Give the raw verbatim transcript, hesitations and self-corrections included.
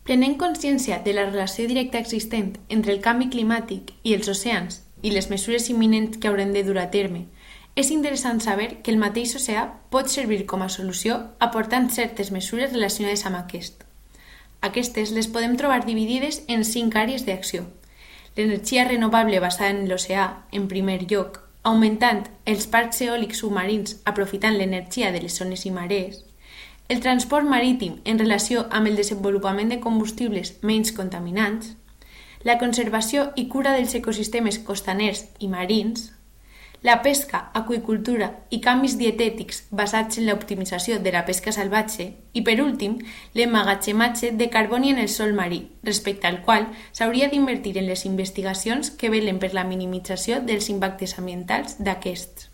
Prenent consciència de la relació directa existent entre el canvi climàtic i els oceans i les mesures imminents que haurem de dur a terme, és interessant saber que el mateix oceà pot servir com a solució aportant certes mesures relacionades amb aquest. Aquestes les podem trobar dividides en cinc àrees d'acció. L'energia renovable basada en l'oceà, en primer lloc, augmentant els parcs eòlics submarins aprofitant l'energia de les zones i marees, el transport marítim en relació amb el desenvolupament de combustibles menys contaminants, la conservació i cura dels ecosistemes costaners i marins, la pesca, aqüicultura i canvis dietètics basats en l'optimització de la pesca salvatge i, per últim, l'emmagatzematge de carboni en el sòl marí, respecte al qual s'hauria d'invertir en les investigacions que velen per la minimització dels impactes ambientals d'aquests.